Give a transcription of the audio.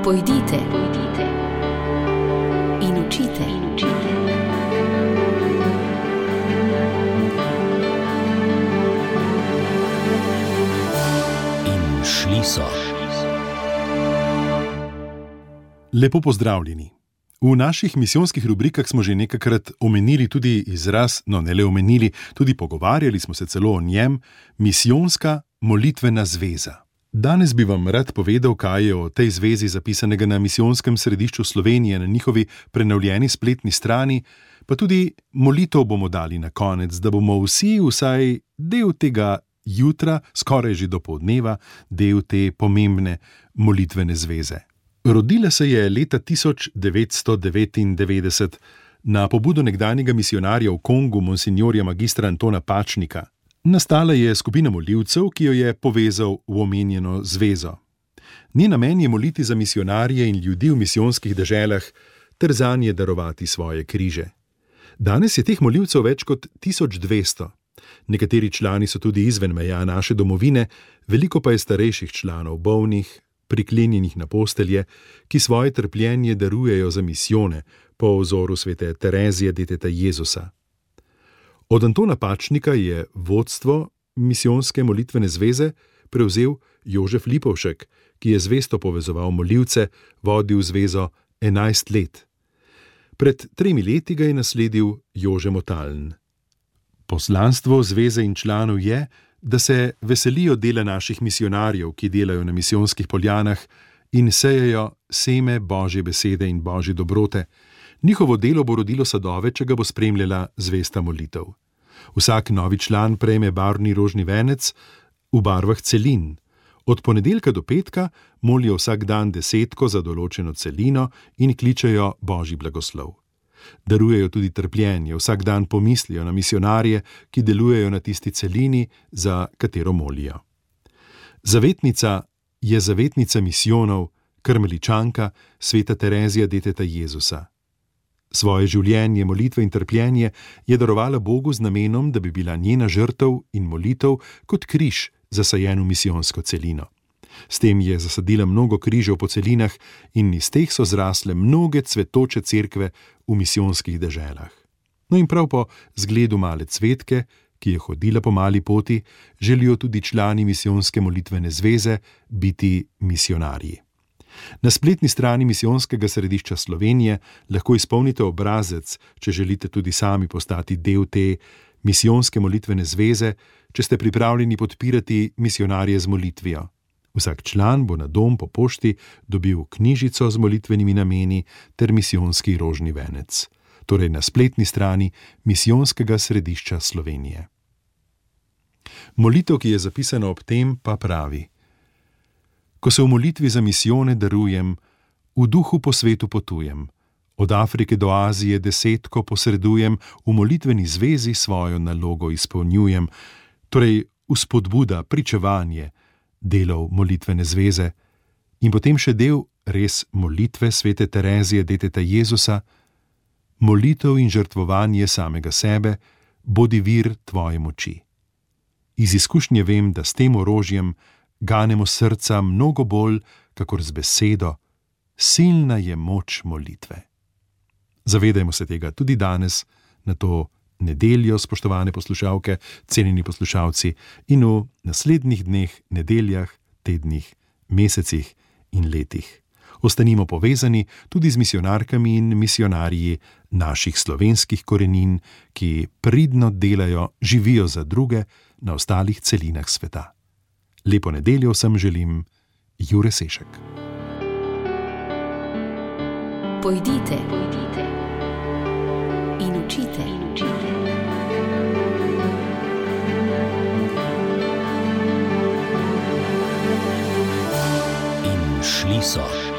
Pojdite in učite. In šli so. Lepo pozdravljeni. V naših misijonskih rubrikah smo že nekajkrat omenili tudi izraz, ne le omenili, tudi pogovarjali smo se celo o njem, misijonska molitvena zveza. Danes bi vam rad povedal, kaj je o tej zvezi zapisanega na Misijonskem središču Slovenije na njihovi prenovljeni spletni strani, pa tudi molitev bomo dali na konec, da bomo vsi vsaj del tega jutra, skoraj že dopoldneva, del te pomembne molitvene zveze. Rodila se je leta 1999 na pobudo nekdanjega misijonarja v Kongu, monsinjorja magistra Antona Pačnika. Nastala je skupina molivcev, ki jo je povezal v omenjeno zvezo. Njen namen je moliti za misijonarje in ljudi v misijonskih deželah ter zanje darovati svoje križe. Danes je teh molivcev več kot 1200. Nekateri člani so tudi izven meja naše domovine, veliko pa je starejših članov, bolnih, priklenjenih na postelje, ki svoje trpljenje darujejo za misijone po vzoru svete Terezije deteta Jezusa. Od Antona Pačnika je vodstvo misijonske molitvene zveze prevzel Jožef Lipovšek, ki je zvesto povezoval molivce, vodil zvezo 11 let. Pred 3 leti ga je nasledil Jože Motaln. Poslanstvo zveze in članov je, da se veselijo dela naših misijonarjev, ki delajo na misijonskih poljanah in sejejo seme Božje besede in Božje dobrote. Njihovo delo bo rodilo sadove, če ga bo spremljala zvesta molitev. Vsak novi član prejme barvni rožni venec v barvah celin. Od ponedeljka do petka molijo vsak dan 10 za določeno celino in kličejo Božji blagoslov. Darujejo tudi trpljenje, vsak dan pomislijo na misijonarje, ki delujejo na tisti celini, za katero molijo. Zavetnica je zavetnica misijonov, karmeličanka, sveta Terezija deteta Jezusa. Svoje življenje, molitve in trpljenje je darovala Bogu z namenom, da bi bila njena žrtev in molitev kot križ zasajen v misijonsko celino. S tem je zasadila mnogo križev po celinah in iz teh so zrasle mnoge cvetoče cerkve v misijonskih deželah. In prav po zgledu male cvetke, ki je hodila po mali poti, želijo tudi člani misijonske molitvene zveze biti misijonarji. Na spletni strani Misijonskega središča Slovenije lahko izpolnite obrazec, če želite tudi sami postati del te misijonske molitvene zveze, če ste pripravljeni podpirati misijonarje z molitvijo. Vsak član bo na dom po pošti dobil knjižico z molitvenimi nameni ter misijonski rožni venec. Torej na spletni strani Misijonskega središča Slovenije. Molitev, ki je zapisana ob tem, pa pravi: Ko se v molitvi za misijone darujem, v duhu po svetu potujem, od Afrike do Azije 10 posredujem, v molitveni zvezi svojo nalogo izpolnjujem, torej vzpodbuda, pričevanje, delov molitvene zveze in potem še del res molitve svete Terezije deteta Jezusa, molitev in žrtvovanje samega sebe, bodi vir tvoje moči. Iz izkušnje vem, da s tem orožjem ganemo srca mnogo bolj, kakor z besedo, silna je moč molitve. Zavedajmo se tega tudi danes, na to nedeljo, spoštovane poslušalke, cenjeni poslušalci, in v naslednjih dneh, nedeljah, tednih, mesecih in letih. Ostanimo povezani tudi z misijonarkami in misijonarji naših slovenskih korenin, ki pridno delajo, živijo za druge na ostalih celinah sveta. Lepo nedeljo vsem želim, Jure Sešek. Pojdite in učite. In šli so.